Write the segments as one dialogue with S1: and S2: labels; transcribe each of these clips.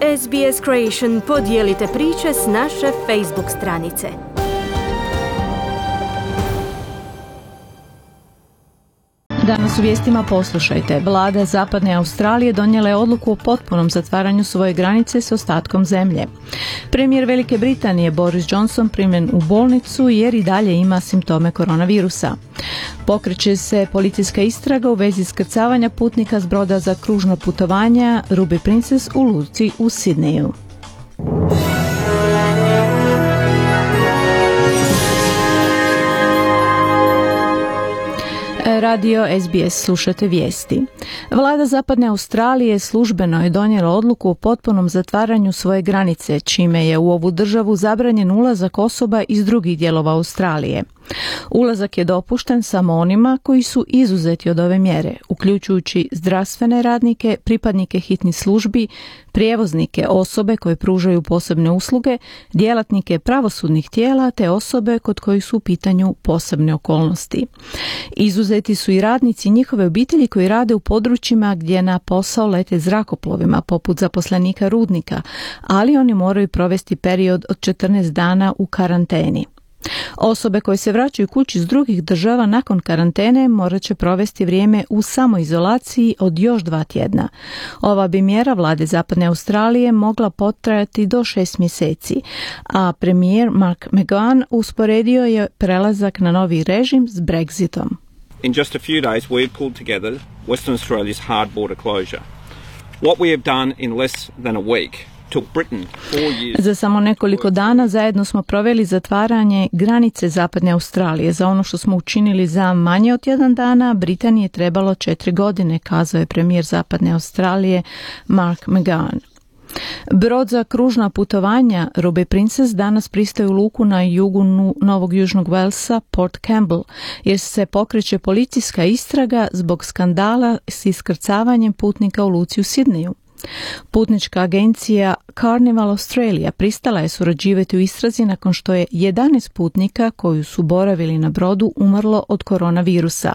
S1: SBS Creation, podijelite priče s naše Facebook stranice.
S2: Danas u vijestima poslušajte. Vlada Zapadne Australije donijela je odluku o potpunom zatvaranju svoje granice s ostatkom zemlje. Premijer Velike Britanije Boris Johnson primljen u bolnicu jer i dalje ima simptome koronavirusa. Pokreće se policijska istraga u vezi iskrcavanja putnika s broda za kružno putovanja Ruby Princess u luci u Sidneju. Radio SBS, slušate vijesti. Vlada Zapadne Australije službeno je donijela odluku o potpunom zatvaranju svoje granice, čime je u ovu državu zabranjen ulazak osoba iz drugih dijelova Australije. Ulazak je dopušten samo onima koji su izuzeti od ove mjere, uključujući zdravstvene radnike, pripadnike hitnih službi, prijevoznike, osobe koje pružaju posebne usluge, djelatnike pravosudnih tijela te osobe kod kojih su u pitanju posebne okolnosti. Izuzeti su i radnici njihove obitelji koji rade u područjima gdje na posao lete zrakoplovima, poput zaposlenika rudnika, ali oni moraju provesti period od 14 dana u karanteni. Osobe koje se vraćaju kući iz drugih država nakon karantene morat će provesti vrijeme u samoizolaciji od još 2 tjedna. Ova bi mjera vlade Zapadne Australije mogla potrajati do 6 mjeseci, a premijer Mark McGowan usporedio je prelazak na novi režim s Brexitom.
S3: In just a few days we've pulled together Western Australia's hard border closure. What we have done in less than a week.
S2: Za samo nekoliko dana zajedno smo proveli zatvaranje granice Zapadne Australije. Za ono što smo učinili za manje od 1 dana, Britaniji je trebalo 4 godine, kazao je premijer Zapadne Australije Mark McGowan. Brod za kružna putovanja Ruby Princess danas pristaje u luku na jugu Novog Južnog Walesa, Port Campbell, jer se pokreće policijska istraga zbog skandala s iskrcavanjem putnika u luci u Sidneju. Putnička agencija Carnival Australia pristala je surađivati u istrazi nakon što je 11 putnika koji su boravili na brodu umrlo od koronavirusa.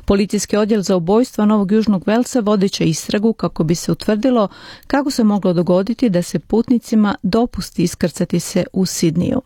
S2: Policijski odjel za ubojstva Novog Južnog Walesa vodeće istragu kako bi se utvrdilo kako se moglo dogoditi da se putnicima dopusti iskrcati se u Sidneju.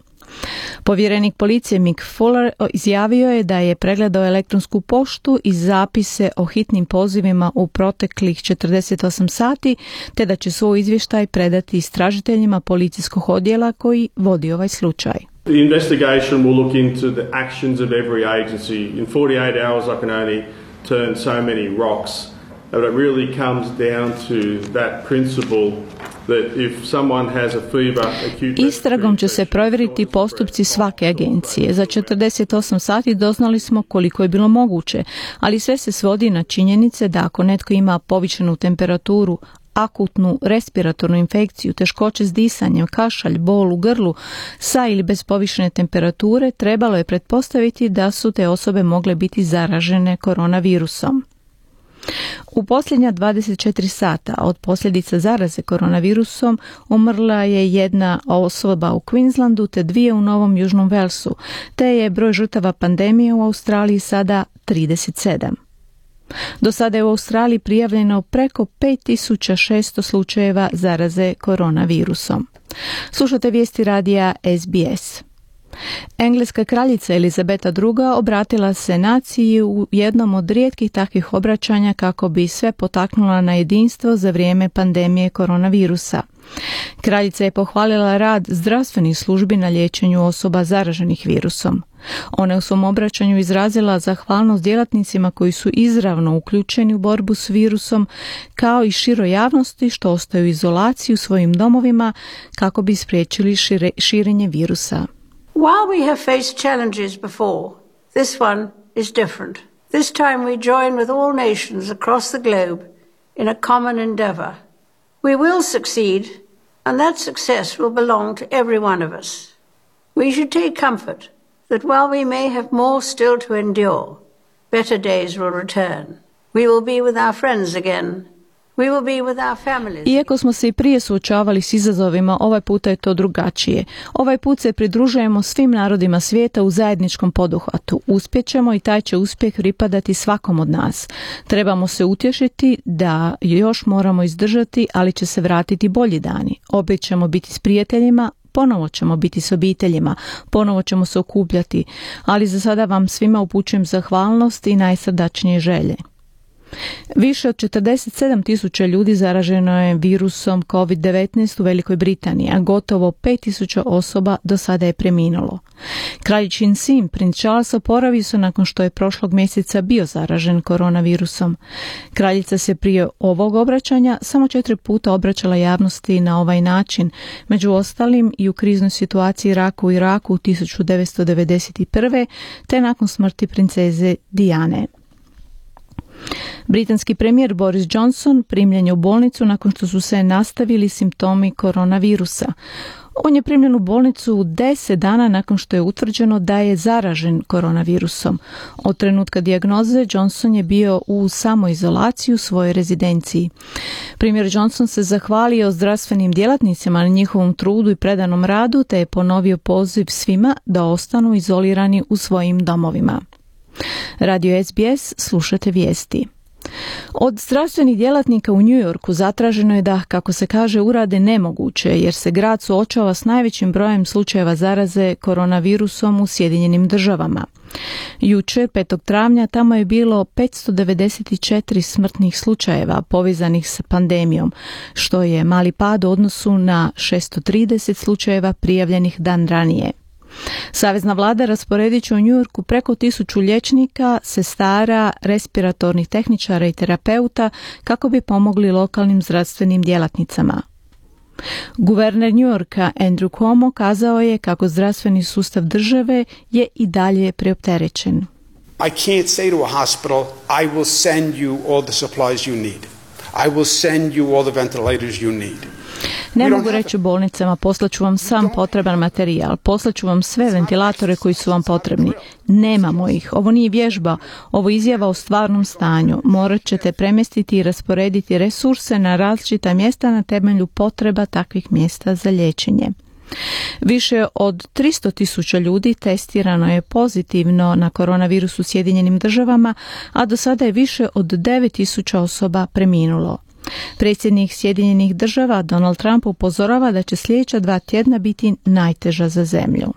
S2: Povjerenik policije Mick Fuller izjavio je da je pregledao elektronsku poštu i zapise o hitnim pozivima u proteklih 48 sati, te da će svoj izvještaj predati istražiteljima policijskog odjela koji vodi ovaj slučaj.
S4: The investigation will look into the actions of every agency. In 48 hours I can only turn so many rocks. But it really comes down to that principle that if someone has a fever, acute...
S2: Istragom će se provjeriti postupci svake agencije. Za 48 sati doznali smo koliko je bilo moguće, ali sve se svodi na činjenice da ako netko ima povišenu temperaturu, akutnu respiratornu infekciju, teškoće s disanjem, kašalj, bol u grlu, sa ili bez povišene temperature, trebalo je pretpostaviti da su te osobe mogle biti zaražene koronavirusom. U posljednja 24 sata od posljedica zaraze koronavirusom umrla je 1 osoba u Queenslandu te 2 u Novom Južnom Walesu, te je broj žrtava pandemije u Australiji sada 37. Do sada je u Australiji prijavljeno preko 5600 slučajeva zaraze koronavirusom. Slušate vijesti radija SBS. Engleska kraljica Elizabeta II. Obratila se naciji u jednom od rijetkih takvih obraćanja kako bi sve potaknula na jedinstvo za vrijeme pandemije koronavirusa. Kraljica je pohvalila rad zdravstvenih službi na liječenju osoba zaraženih virusom. Ona je u svom obraćanju izrazila zahvalnost djelatnicima koji su izravno uključeni u borbu s virusom, kao i široj javnosti što ostaju u izolaciji u svojim domovima kako bi spriječili širenje virusa.
S5: While we have faced challenges before, this one is different. This time we join with all nations across the globe in a common endeavour. We will succeed, and that success will belong to every one of us. We should take comfort that while we may have more still to endure, better days will return. We will be with our friends again. We will be with our families.
S2: Iako smo se i prije suočavali s izazovima, ovaj puta je to drugačije. Ovaj put se pridružujemo svim narodima svijeta u zajedničkom poduhvatu. Uspjećemo i taj će uspjeh pripadati svakom od nas. Trebamo se utješiti da još moramo izdržati, ali će se vratiti bolji dani. Opet ćemo biti s prijateljima, ponovo ćemo biti s obiteljima, ponovo ćemo se okupljati, ali za sada vam svima upućujem zahvalnost i najsrdačnije želje. Više od 47.000 ljudi zaraženo je virusom COVID-19 u Velikoj Britaniji, a gotovo 5.000 osoba do sada je preminulo. Kraljičin sin, princ Charles, oporavio se nakon što je prošlog mjeseca bio zaražen koronavirusom. Kraljica se prije ovog obraćanja samo 4 puta obraćala javnosti na ovaj način, među ostalim i u kriznoj situaciji u Iraku u 1991. te nakon smrti princeze Diane. Britanski premijer Boris Johnson primljen je u bolnicu nakon što su se nastavili simptomi koronavirusa. On je primljen u bolnicu 10 dana nakon što je utvrđeno da je zaražen koronavirusom. Od trenutka dijagnoze Johnson je bio u samoizolaciji u svojoj rezidenciji. Premijer Johnson se zahvalio zdravstvenim djelatnicima na njihovom trudu i predanom radu te je ponovio poziv svima da ostanu izolirani u svojim domovima. Radio SBS, slušate vijesti. Od zdravstvenih djelatnika u New Yorku zatraženo je da, kako se kaže, urade nemoguće, jer se grad suočava s najvećim brojem slučajeva zaraze koronavirusom u Sjedinjenim Državama. Jučer, 5. travnja, tamo je bilo 594 smrtnih slučajeva povezanih s pandemijom, što je mali pad u odnosu na 630 slučajeva prijavljenih dan ranije. Savezna vlada rasporedit će u New Yorku preko 1000 liječnika, sestara, respiratornih tehničara i terapeuta kako bi pomogli lokalnim zdravstvenim djelatnicama. Guverner New Yorka Andrew Cuomo kazao je kako zdravstveni sustav države je i dalje preopterećen.
S6: I can't say to a hospital, I will send you all the supplies you need. I will send you all the ventilators you need.
S2: Ne mogu reći bolnicama, poslaću vam sam potreban materijal, poslaću vam sve ventilatore koji su vam potrebni. Nemamo ih. Ovo nije vježba, ovo je izjava o stvarnom stanju. Morat ćete premjestiti i rasporediti resurse na različita mjesta na temelju potreba takvih mjesta za liječenje. Više od 300.000 ljudi testirano je pozitivno na koronavirus u Sjedinjenim Državama, a do sada je više od 9.000 osoba preminulo. Predsjednik Sjedinjenih Država Donald Trump upozorava da će sljedeća 2 tjedna biti najteža za zemlju.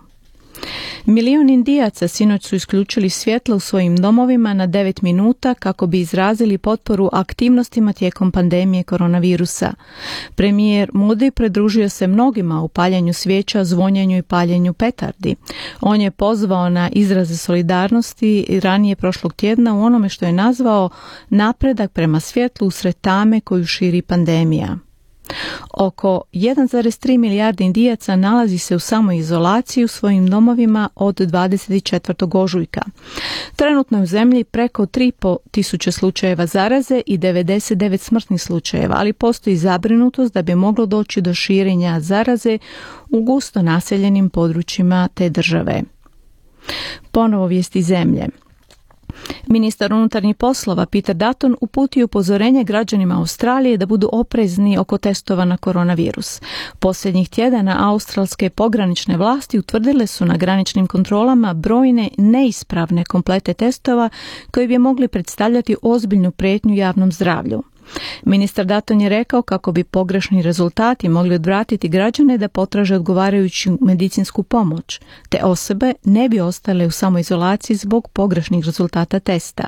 S2: Milion Indijaca sinoć su isključili svjetlo u svojim domovima na 9 minuta kako bi izrazili potporu aktivnostima tijekom pandemije koronavirusa. Premijer Modi pridružio se mnogima u paljenju svijeća, zvonjenju i paljenju petardi. On je pozvao na izraze solidarnosti ranije prošlog tjedna u onome što je nazvao napredak prema svjetlu usred tame koju širi pandemija. Oko 1,3 milijarde Indijaca nalazi se u samoizolaciji u svojim domovima od 24. ožujka. Trenutno je u zemlji preko 3.500 slučajeva zaraze i 99 smrtnih slučajeva, ali postoji zabrinutost da bi moglo doći do širenja zaraze u gusto naseljenim područjima te države. Ponovo vijesti zemlje. Ministar unutarnjih poslova Peter Dutton uputio upozorenje građanima Australije da budu oprezni oko testova na koronavirus. Posljednjih tjedana australske pogranične vlasti utvrdile su na graničnim kontrolama brojne neispravne komplete testova koji bi mogli predstavljati ozbiljnu prijetnju javnom zdravlju. Ministar Dutton je rekao kako bi pogrešni rezultati mogli odvratiti građane da potraže odgovarajuću medicinsku pomoć, te osobe ne bi ostale u samoizolaciji zbog pogrešnih rezultata testa.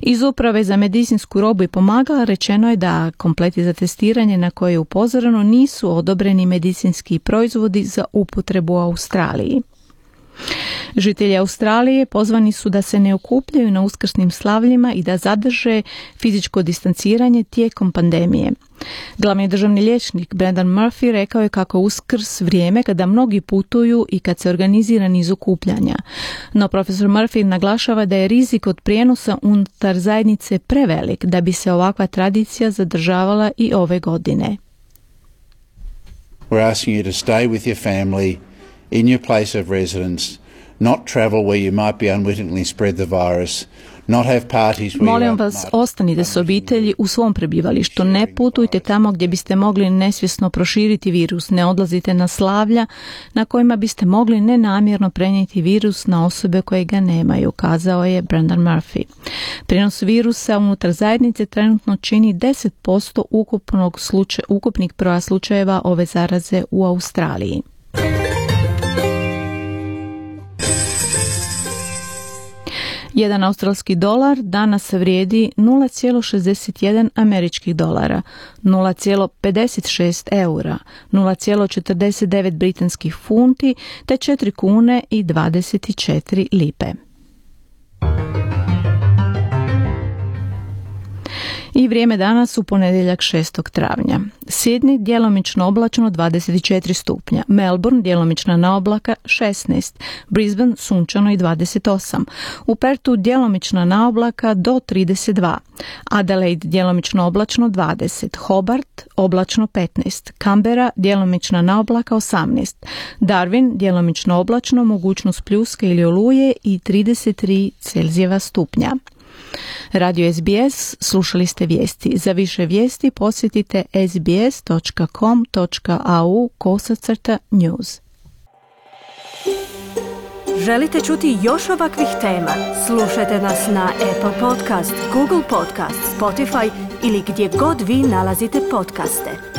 S2: Iz Uprave za medicinsku robu i pomagala rečeno je da kompleti za testiranje na koje je upozoreno nisu odobreni medicinski proizvodi za upotrebu u Australiji. Žitelji Australije pozvani su da se ne okupljaju na uskrsnim slavljima i da zadrže fizičko distanciranje tijekom pandemije. Glavni državni liječnik Brendan Murphy rekao je kako Uskrs vrijeme kada mnogi putuju i kad se organizira niz okupljanja. No profesor Murphy naglašava da je rizik od prijenosa unutar zajednice prevelik da bi se ovakva tradicija zadržavala i ove godine.
S7: We're asking you to stay with your family in your place of residence, not travel where you might be unwittingly spread the virus, not have parties where
S2: Molim
S7: you
S2: vas,
S7: might-
S2: ostanite s obitelji u svom prebivalištu. Ne putujte tamo gdje biste mogli nesvjesno proširiti virus. Ne odlazite na slavlja na kojima biste mogli nenamjerno prenijeti virus na osobe koje ga nemaju, kazao je Brendan Murphy. Prijenos virusa unutar zajednice trenutno čini 10% ukupnih broja slučajeva ove zaraze u Australiji. Jedan australski dolar danas vrijedi 0,61 američkih dolara, 0,56 eura, 0,49 britanskih funti te 4 kune i 24 lipe. I vrijeme danas u ponedjeljak 6. travnja. Sydney djelomično oblačno 24 stupnja, Melbourne djelomična na oblaka 16, Brisbane sunčano i 28, u Perthu djelomična na oblaka do 32, Adelaide djelomično oblačno 20, Hobart oblačno 15, Canberra djelomična na oblaka 18, Darwin djelomično oblačno, mogućnost pljuske ili oluje i 33 Celzijeva stupnja. Radio SBS, slušali ste vijesti. Za više vijesti posjetite sbs.com.au/news.
S1: Želite čuti još ovakvih tema? Slušajte nas na Apple Podcast, Google Podcast, Spotify ili gdje god vi nalazite podcaste.